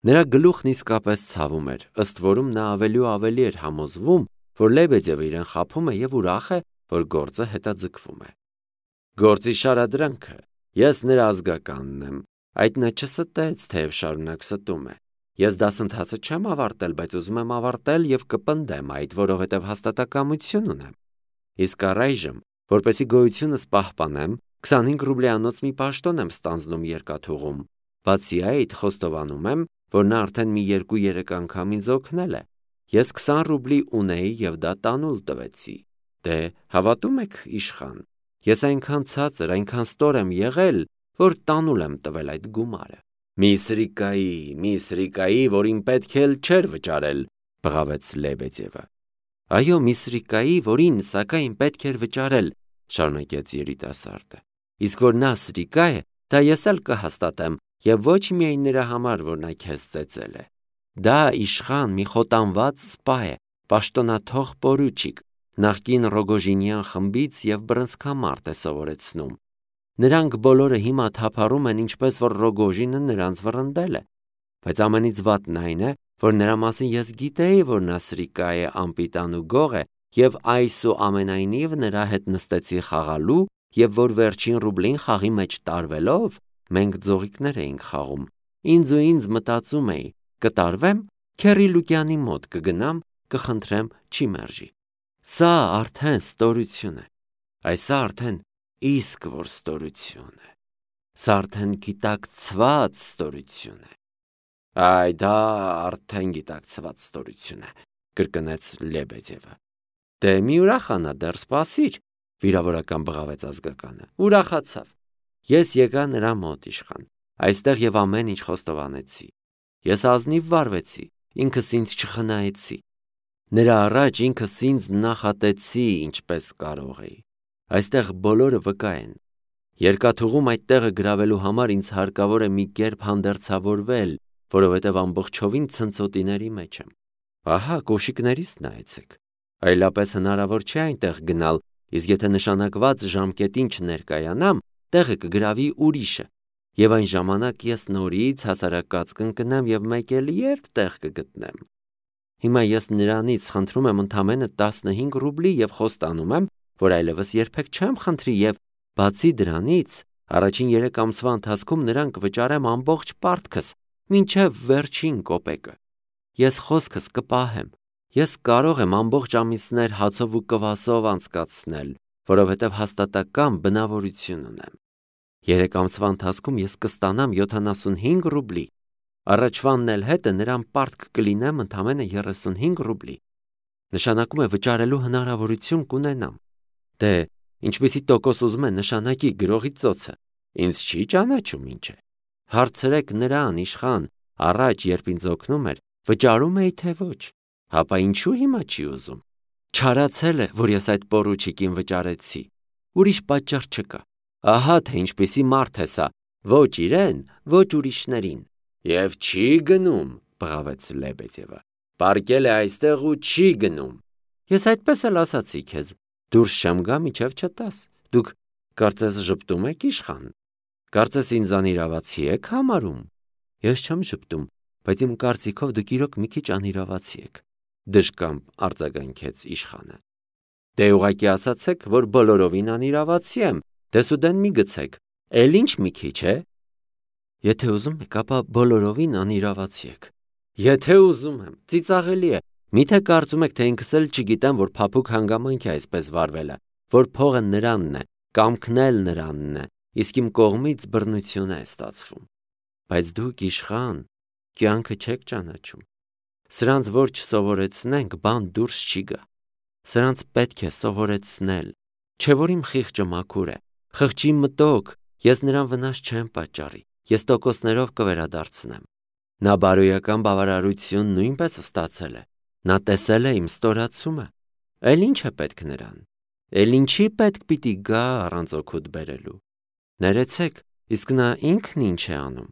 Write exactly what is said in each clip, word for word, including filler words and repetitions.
Նրա գլուխն իսկապես ցավում էր, ըստ որում նա ավելի ու ավելի էր համոզվում, որ Լեբեդևը իրեն խաբում է և ուրախ է, որ գործը հետաձգվում է։ Գործի շարադրանքը, ես նրա ազգականն եմ, այդ նա չստեց, թեև շարունակ ստում է։ Ես դասընթացը չեմ ավարտել, բայց ուզում եմ ավարտել և կպնդեմ այդ, որովհետև հաստատակամություն ունեմ։ Իսկ առայժմ, որպեսզի գոյությունս պահպանեմ, քսանհինգ ռուբլյանոց մի պաշտոն եմ ստանձնում երկաթուղում։ Բացի այդ, խոստովանում եմ, որ նա արդեն մի երկու-երեք անգամ ինձ օգնել է։ Ես քսան ռուբլի ունեի և դա տանուլ տվեցի։ Դե, հավատում եք, իշխան, ես այնքան ցածր, այնքան ստոր եմ եղել, որ տանուլ եմ տվել այդ գումարը։ Մի սրիկայի, մի սրիկայի, որին պետք էլ չէր վճարել, բղավեց Լեբեդևը։ Այո, մի սրիկայի, որին սակայն պետք էր վճարել, շարունակեց երիտասարդը։ Իսկ որ նա սրիկա է, դա ես էլ կհաստատեմ, և ոչ միայն նրա համար, որ նա քեզ ծեծել է։ Դա իշխան մի խոտանված սպա է, պաշտոնաթող պորուչիկ, նախկին Ռոգոժինյան խմբից և բռնցքամարտ է սովորեցնում։ Նրանք բոլորը հիմա թափառում են, ինչպես որ Ռոգոժինը նրանց վռնդել է։ Բայց ամենից վատն այն է, որ նրա մասին ես գիտեի, որ նա սրիկա է, անպիտան ու գող է, և այսուամենայնիվ նրա հետ նստեցի խաղալու, և որ վերջին ռուբլին խաղի մեջ տարվելով, մենք ձողիկներ էինք խաղում։ Ինձ ու ինձ մտածում էի, կտարվեմ, Քերի Լուկյանի մոտ կգնամ, կխնդրեմ, չի մերժի։ Սա արդեն ստորություն է։ Այս արդեն իսկ որ ստորություն է։ Սա արդեն գիտակցված ստորություն է։ Այ դա արդեն գիտակցված ստորություն է, կրկնեց Լեբեդևը։ Դե մի ուրախանա, դեռ սպասիր, վիրավորական բղավեց ազգականը։ Ուրախացավ։ Ես եկա նրա մոտ, իշխան, այստեղ և ամեն ինչ խոստովանեցի։ Ես ազնիվ վարվեցի, ինքս ինձ չխնայեցի։ Նրա առաջ ինքս ինձ նախատեցի, ինչպես կարող էի։ Այստեղ բոլորը վկա են։ Երկաթուղում այդ տեղը գրավելու համար ինձ հարկավոր է մի կերպ հանդերձավորվել, որովհետև ամբողջովին ցնցոտիների մեջ եմ։ Ահա, կոշիկներիս նայեցեք։ Այլապես հնարավոր չէ այնտեղ գնալ, իսկ եթե նշանակված ժամկետին չներկայանամ, տեղը կգրավի ուրիշը, և այն ժամանակ ես նորից հասարակած կընկնեմ և մեկ էլ երբ տեղ կգտնեմ։ Հիմա ես նրանից խնդրում եմ ընդամենը տասնհինգ ռուբլի և խոստանում եմ, որ այլևս երբեք չեմ խնդրի և, բացի դրանից, առաջին երեք ամսվա ընթացքում նրան կվճարեմ ամբողջ պարտքս, մինչև վերջին կոպեկը։ Ես խոսքս կպահեմ։ Ես կարող եմ ամբողջ ամիսներ հացով ու կվասով անցկացնել, որովհետև հաստատակամ բնավորություն ունեմ։ Երեք ամսվա ընթացքում ես կստանամ յոթանասունհինգ ռուբլի։ Առաջվանն էլ հետը նրան պարտք կլինեմ ընդամենը երեսունհինգ ռուբլի։ Նշանակում է վճարելու հնարավորություն կունենամ։ Դե, ինչպիսի տոկոս ուզում է նշանակի գրողի ծոցը, ինձ չի ճանաչում ինչ է։ Հարցրեք նրան, իշխան, առաջ երբ ինձ օգնում էր, վճարում էի թե ոչ։ Հապա ինչու հիմա չի ուզում։ Չարացել է, որ ես այդ պորուչիկին վճարեցի։ Ուրիշ պատճառ չկա։ Ահա թե ինչպիսի մարդ է սա, ոչ իրեն, ոչ ուրիշներին։ Եվ չի գնում, բղավեց Լեբեդևը։ Պառկել է այստեղ ու չի գնում։ Ես այդպես էլ ասացի քեզ, դուրս չեմ գա, մինչև չտաս։ Դուք կարծես ժպտում եք, իշխան։ Կարծես ինձ անիրավացի եք համարում։ Ես չեմ ժպտում, բայց իմ կարծիքով դուք իրոք մի քիչ անիրավացի եք, դժկամք արձագանքեց իշխանը։ Դե ուղղակի ասացեք, որ բոլորովին անիրավացի եմ, դեսուդեն մի գցեք, էլ ինչ մի քիչ է։ Եթե ուզում եք, ապա բոլորովին անիրավացի եք։ Եթե ուզում եմ, ծիծաղելի է։ Միթե կարծում եք, թե ինքս էլ չգիտեմ, որ փափուկ հանգամանք է այսպես վարվելը, որ փողը նրանն է, կամքն էլ նրանն է, իսկ իմ կողմից բռնություն է ստացվում։ Բայց դուք իշխան, կյանքը չեք ճանաչում։ Սրանց որ չսովորեցնենք, բան դուրս չի գա։ Սրանց պետք է սովորեցնել։ Չէ որ իմ խիղճը մաքուր է, խղճի մտոք, ես նրան վնաս չեմ պատճառի, ես տոկոսներով կվերադարձնեմ։ Նա բարոյական բավարարություն նույնպես ստացել է։ Նա տեսել է իմ ստորացումը։ Էլ ինչ է պետք նրան։ Էլ ինչի պետք պիտի գա առանց օգուտ բերելու։ Ներեցեք, իսկ նա ինքն ինչ է անում։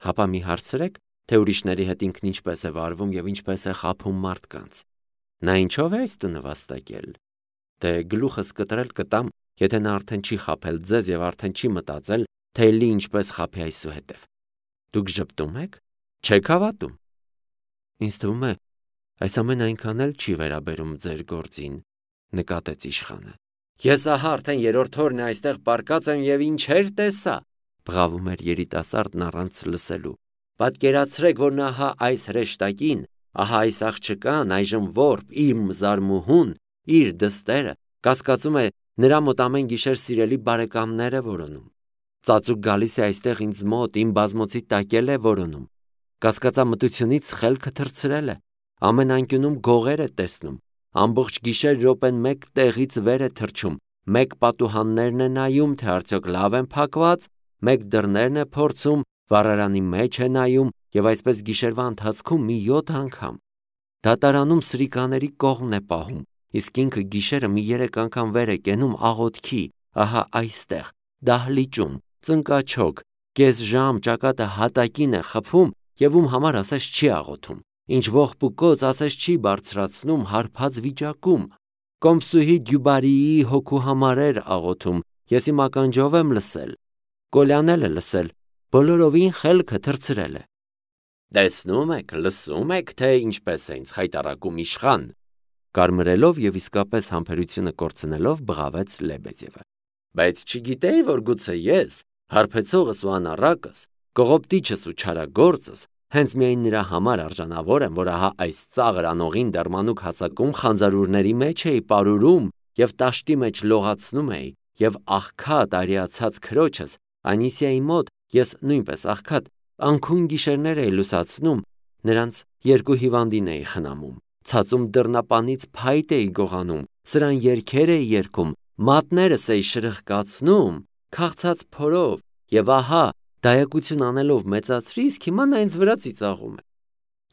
Հապա մի հարցրեք, թե ուրիշների հետ ինքն ինչպես է վարվում և ինչպես է խաբում մարդկանց։ Նա ինչով է այս տունը վաստակել։ Դե գլուխս կտրել կտամ, եթե նա արդեն չի խաբել ձեզ և արդեն չի մտածել, թե էլի ինչպես խաբի այսուհետև։ Դուք ժպտում եք։ Չեք հավատում։ Ինձ թվում է, այս ամեն այնքան էլ չի վերաբերում ձեր գործին, նկատեց իշխանը։ Ես ահա արդեն երրորդ օրն է այստեղ պառկած եմ եւ ինչեր տեսա, բղավում էր երիտասարդն առանց լսելու։ Պատկերացրեք, որ նա ահա այս հրեշտակին, ահա այս աղջկան, այժմ որբ, իմ զարմուհուն, իր դստերը, կասկածում է նրա մոտ ամեն գիշեր սիրելի բարեկամները որոնում։ Ծածուկ գալիս է այստեղ ինձ մոտ, իմ բազմոցի տակել է որոնում։ Կասկածամտությունից խելքը թռցրել է, ամեն անկյունում գողեր է տեսնում, ամբողջ գիշեր րոպեն մեկ տեղից վեր է թռչում, մեկ պատուհաններն է նայում, թե արդյոք լավ են փակված, մեկ դռներն է փորձում, վառարանի մեջ է նայում եւ այսպես գիշերվա ընթացքում մի յոթ անգամ։ Դատարանում սրիկաների կողմն է պահում, իսկ ինքը գիշերը մի երեք անգամ վեր է կենում աղոթքի, ահա այստեղ, դահլիճում, ծնկաչոք, կես ժամ ճակատը հատակին է խփում եւ ում համար ասես չի աղոթում, ինչ ողբուկոց ասես չի բարձրացնում հարբած վիճակում։ Կոմսուհի Դյուբարիի հոգու համար էր աղոթում, ես իմ ականջով եմ լսել, Կոլյանել է լսել, բոլորովին խելքը թռցրել է։ Տեսնում եք, լսում եք, թե ինչպես է ինձ խայտառակում իշխան, կարմրելով եւ իսկապես համբերությունը կորցնելով բղավեց Լեբեդևը։ Բայց չգիտեի, որ գուցե ես, հարբեցողս ու անառակս, կողոպտիչս ու չարագործս, հենց միայն նրա համար արժանավոր եմ, որ ահա այս ծաղր անողին դարմանուկ հասակում խանձարուրների մեջ էի պարուրում եւ տաշտի մեջ լողացնում էի եւ աղքատ արիացած քրոջս Անիսիայի մոտ ես նույնպես աղքատ անքուն գիշերներ էի լուսացնում, նրանց երկու հիվանդին էի խնամում, ցածում դռնապանից փայտ էի գողանում, սրան երգեր էի երգում, մատներս էի շրխկացնում, քաղցած փորով եւ ահա դայակություն անելով մեծացրի, իսկ հիմա նա ինձ վրա ծիծաղում է։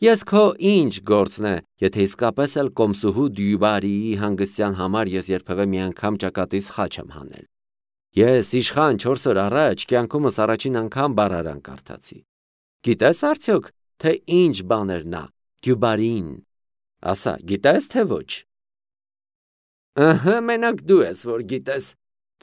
Ես քո ինչ գործն է, եթե իսկապես էլ Կոմսուհու Դյուբարիի հանգստյան համար ես երբևէ մի անգամ ճակատիս խաչ եմ հանել։ Ես իշխան չորս օր առաջ կյանքումս առաջին անգամ բառարան կարդացի։ Գիտես արդյոք, թե ինչ բան էր նա, Դյուբարին։ Ասա, գիտես թե ոչ։ Ահա, մենակ դու ես, որ գիտես,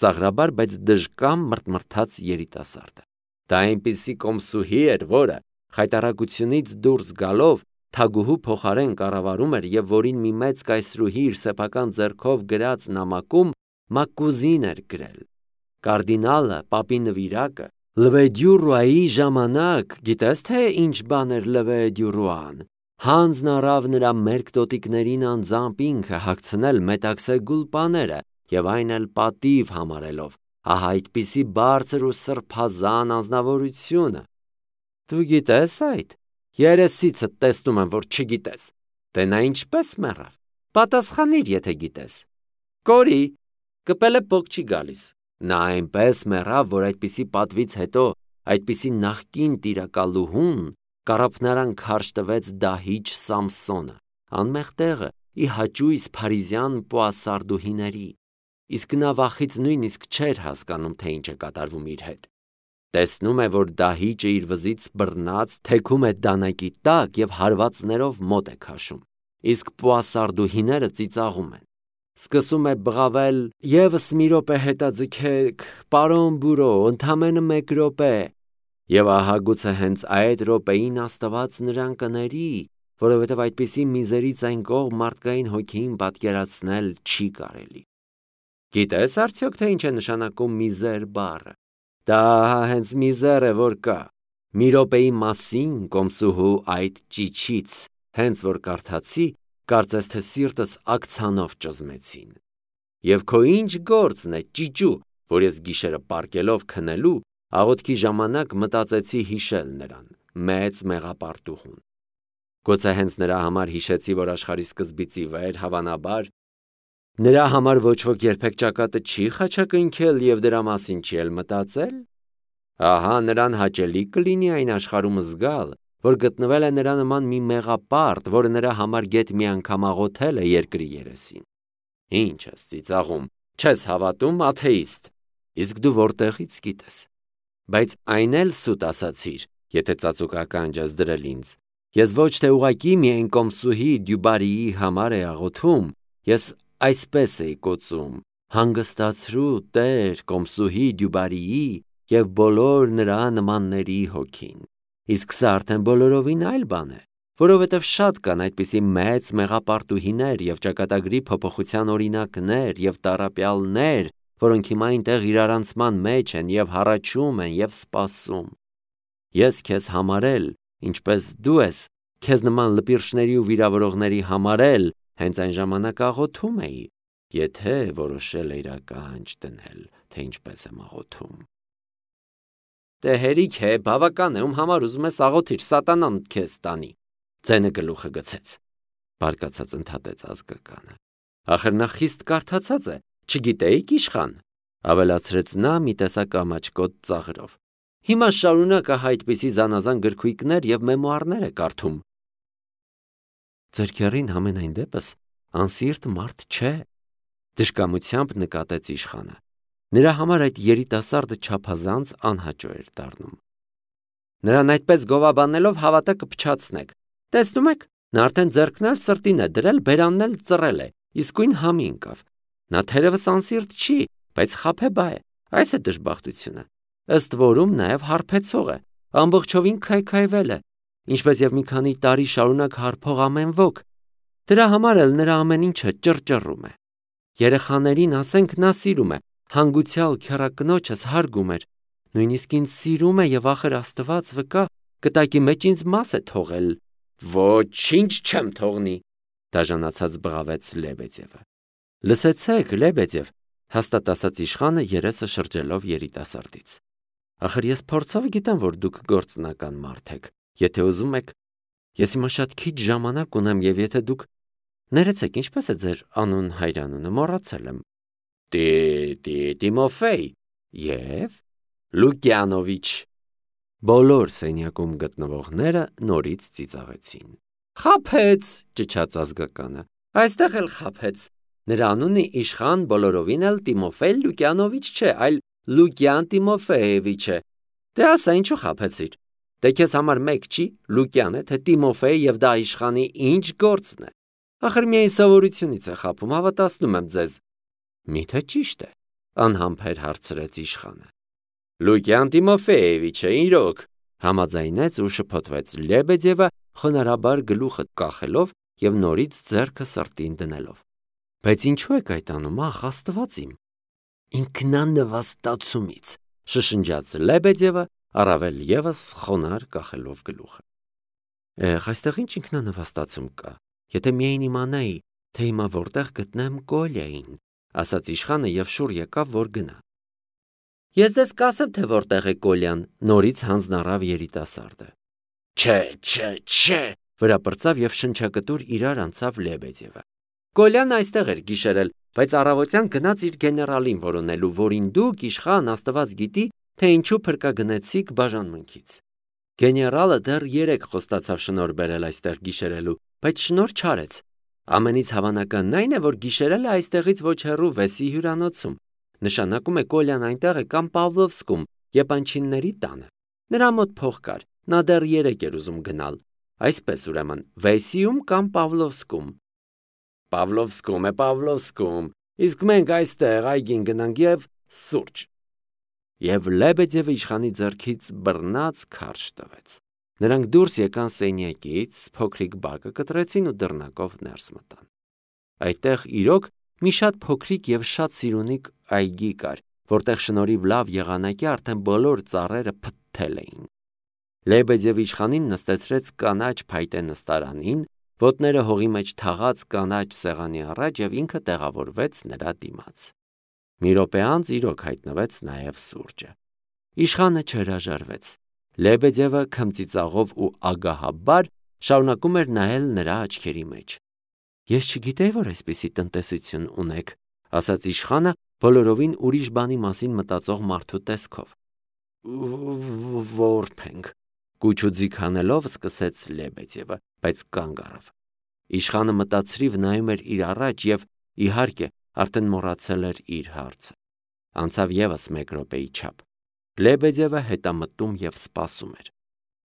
ծաղրաբար, բայց դժկամ մրթմրթաց երիտասարդը։ Դա այնպիսի կոմսուհի էր, որը խայտառակությունից դուրս գալով թագուհու փոխարեն կառավարում էր եւ որին մի մեծ կայսրուհի իր սեփական ձեռքով գրած նամակում մակուզին էր գրել։ Կարդինալը, պապի նվիրակը, Լվեդյուրուայի ժամանակ, գիտես թե ինչ բան էր Լվեդյուրուան, հանձն առավ նրա մերկ տոտիկներին անձամբ ինքը հագցնել մետաքսե գուլպաները եւ այն էլ պատիվ համարելով, ահա այդպիսի բարձր ու սրբազան անձնավորությունը։ Դու գիտես այդ, երեսիցդ տեսնում եմ, որ չգիտես, դե նա ինչպես մեռավ, պատասխանիր, եթե գիտես։ Կորի, կպելը փոք չի գալիս, նա այնպես մեռավ, որ այդպիսի պատվից հետո, այդպիսի նախկին տիրակալուհուն կարապնարան քարշ տվեց Դահիճ Սամսոնը, անմեղ տեղը, ի հաճույս փարիզյան պոասարդուհիների, իսկ նա վախից նույնիսկ չէր հասկանում, թե ինչ է կատարվում իր հետ։ Տեսնում է, որ Դահիճը իր վզից բռնած թեքում է դանակի տակ եւ հարվածներով մոտ է քաշում, իսկ պոասարդուհիները ծիծաղում են։ Սկսում է բղավել. «Եվս մի րոպե հետաձգեք, պարոն բուրո, ընդամենը մեկ րոպե»։ Եվ ահա գուցե հենց այդ րոպեին Աստված նրան կների, որովհետև այդպիսի միզերից այն կողմ մարդկային հոգին պատկերացնել չի կարելի։ Գիտես արդյոք, թե ինչ է նշանակում միզեր բառը։ Դա հենց միզեր է, որ կա։ Մի րոպեի մասին Կոմսուհու այդ ճիչից, հենց որ կարդացի, կարծես թե սիրտս ակցանով ճզմեցին։ Եվ քո ինչ գործն է, ճիճու, որ ես գիշերը պարկելով քնելու, աղոթքի ժամանակ մտածեցի հիշել նրան, մեծ մեղապարտուհուն։ Գուցե հենց նրա համար հիշեցի, որ աշխարհի սկզբից ի վեր, հավանաբար, նրա համար ոչ ոք երբեք ճակատը չի խաչակնքել եւ դրա մասին չի էլ մտածել։ Ահա նրան հաճելի կլինի այն աշխարհում զգալ, որ գտնվել է նրա նման մի մեղապարտ, որը նրա համար գեթ մի անգամ աղոթել է երկրի երեսին։ Ինչ ես ծիծաղում, չես հավատում, աթեիստ։ Իսկ դու որտեղից գիտես։ Բայց այն էլ սուտ ասացիր, եթե ծածուկական ես դրել ինձ։ Ես ոչ թե ուղակի միայն Կոմսուհի Դյուբարիի համար է աղոթում, ես այսպես էի կոծում. հանգստացրու Տեր Կոմսուհի Դյուբարիի եւ բոլոր նրա նմանների հոգին։ իսկ սա արդեն բոլորովին այլ բան է, որովհետև շատ կան այդպիսի մեծ մեղապարտուհիներ և ճակատագրի փոփոխության օրինակներ և տառապյալներ, որոնք հիմա այնտեղ իրարանցման մեջ են և հառաչում են և սպասում։ Ես քեզ համարել, ինչպես դու ես քեզ նման լպիրշների ու վիրավորողների համարել, հենց այն ժամանակ աղոթում էի, եթե որոշել էիր ականջ դնել, թե ինչպես եմ աղոթում։ Դե հերիք է, բավական է, ում համար ուզում ես աղոթիր, սատանան քեզ տանի, ձենը գլուխը գցեց, բարկացած ընդհատեց ազգականը։ Ախր նա խիստ կարդացած է, չգիտեիք իշխան, ավելացրեց նա մի տեսակ ամաչկոտ ծաղրով։ Հիմա շարունակ ահա այդպիսի զանազան գրքույկներ և մեմուարներ է կարդում։ Ձեր քեռին համենայն դեպս անսիրտ մարդ չէ, դժկամությամբ նկատեց իշխանը։ Նրա համար այդ երիտասարդը չափազանց անհաճո էր դառնում։ Նրան այդպես գովաբանելով հավատա կփչացնեք։ Տեսնում եք, նա արդեն ձեռքն էլ սրտին է դրել, բերանն էլ ծռել է, իսկույն համի ընկավ։ Նա թերևս անսիրտ չի, բայց խաբեբա է, այս է դժբախտությունը։ Ըստ որում նաև հարբեցող է, ամբողջովին քայքայվել է, ինչպես և մի քանի տարի շարունակ հարբող ամեն ոք։ Դրա համար էլ նրա ամեն ինչը ճռճռում է։ Երեխաներին ասենք նա սիրում է, հանգուցյալ քեռակնոջս հարգում էր, նույնիսկ ինձ սիրում է և ախր Աստված վկա, կտակի մեջ ինձ մաս է թողել։ Ոչինչ չեմ թողնի, դաժանացած բղավեց Լեբեդևը։ Լսեցեք, Լեբեդև, հաստատ ասաց իշխանը երեսը շրջելով երիտասարդից։ Ախր ես փորձով գիտեմ, որ դուք գործնական մարդ եք, եթե ուզում եք, ես հիմա շատ քիչ ժամանակ ունեմ և եթե դուք ներեցեք, ինչպես է ձեր անուն հայրանունը, մոռացել եմ։ Տիմոֆեյ և Լուկյանովիչ։ Բոլոր սենյակում գտնվողները նորից ծիծաղեցին։ Խաբեց, ճչաց ազգականը, այստեղ էլ խաբեց։ Նրա անունը իշխան բոլորովին էլ Տիմոֆեյ Լուկյանովիչ չէ, այլ Լուկյան Տիմոֆեևիչ է։ Դե ասա ինչու խաբեցիր։ Դե քեզ համար մեկ չի, Լուկյան է, թե Տիմոֆեյ և դա իշխանի ինչ գործն է։ Ախր միայն սովորությունից է խաբում, հավատացնում եմ ձեզ։ Միթե ճիշտ է, անհամբեր հարցրեց իշխանը։ Լուկյան Տիմոֆեևիչը իրոք, համաձայնեց ու շփոթվեց Լեբեդևը, խոնարհաբար գլուխը կախելով և նորից ձեռքը սրտին դնելով։ Բայց ինչու եք այդ անում, ախ, Աստված իմ։ Ինքնանվաստացումից, շշնջաց Լեբեդևը, առավել ևս խոնարհ կախելով գլուխը։ Եղ, այստեղ ինչ ինքնանվաստացում կա, եթե միայն իմանայի, թե հիմա որտեղ գտնեմ Կոլյային, ասաց իշխանը և շուռ եկավ, որ գնա։ Ես ձեզ կասեմ, թե որտեղ է Կոլյան, նորից հանձնառավ երիտասարդը։ Չէ, չէ, չէ, վրա պրծավ և շնչակտուր իրար անցավ Լեբեդևը։ Կոլյան այստեղ էր գիշերել, բայց առավոտյան գնաց իր գեներալին որոնելու, որին դուք իշխան Աստված գիտի, թե ինչու փրկագնեցիք բաժանմունքից։ Գեներալը դեռ երեկ խոստացավ շնորհ բերել այստեղ գիշերելու, բայց շնորհ չարեց։ Ամենից հավանականն այն է, որ գիշերել է այստեղից ոչ հեռու Վեսի հյուրանոցում։ Նշանակում է Կոլյան այնտեղ է կամ Պավլովսկում, Եպանչինների տանը։ Նրա մոտ փող կար, նա դեռ երեկ էր ուզում գնալ։ Այսպես ուրեմն, Վեսիում կամ Պավլովսկում։ Պավլովսկում է, Պավլովսկում, իսկ մենք այստեղ այգին գնանք և սուրճ։ Եվ Լեբեդևը իշխանի ձեռքից բռնած քարշ տվեց։ Նրանք դուրս եկան սենյակից, փոքրիկ բակը կտրեցին ու դռնակով ներս մտան։ Այդտեղ իրոք մի շատ փոքրիկ և շատ սիրունիկ այգի կար, որտեղ շնորհիվ լավ եղանակի արդեն բոլոր ծառերը փթթել էին։ Լեբեդևը իշխանին նստեցրեց կանաչ փայտե նստարանին, ոտները հողի մեջ թաղած կանաչ սեղանի առաջ և ինքը տեղավորվեց նրա դիմաց։ Մի րոպե անց իրոք հայտնվեց նաև սուրճը։ Իշխանը չհրաժարվեց։ Լեբեդևը քմծիծաղով ու ագահաբար շարունակում էր նայել նրա աչքերի մեջ։ Ես չգիտեի, որ այսպիսի տնտեսություն ունեք, ասաց իշխանը բոլորովին ուրիշ բանի մասին մտածող մարդու տեսքով։ Որբ ենք, կուչուձիգ հանելով սկսեց Լեբեդևը, բայց կանգ առավ։ Իշխանը մտածրիվ նայում էր իր առաջ և, իհարկե, արդեն մոռացել էր իր հարցը։ Անցավ ևս մեկ րոպեի չափ։ Լեբեդևը հետամտում և սպասում էր։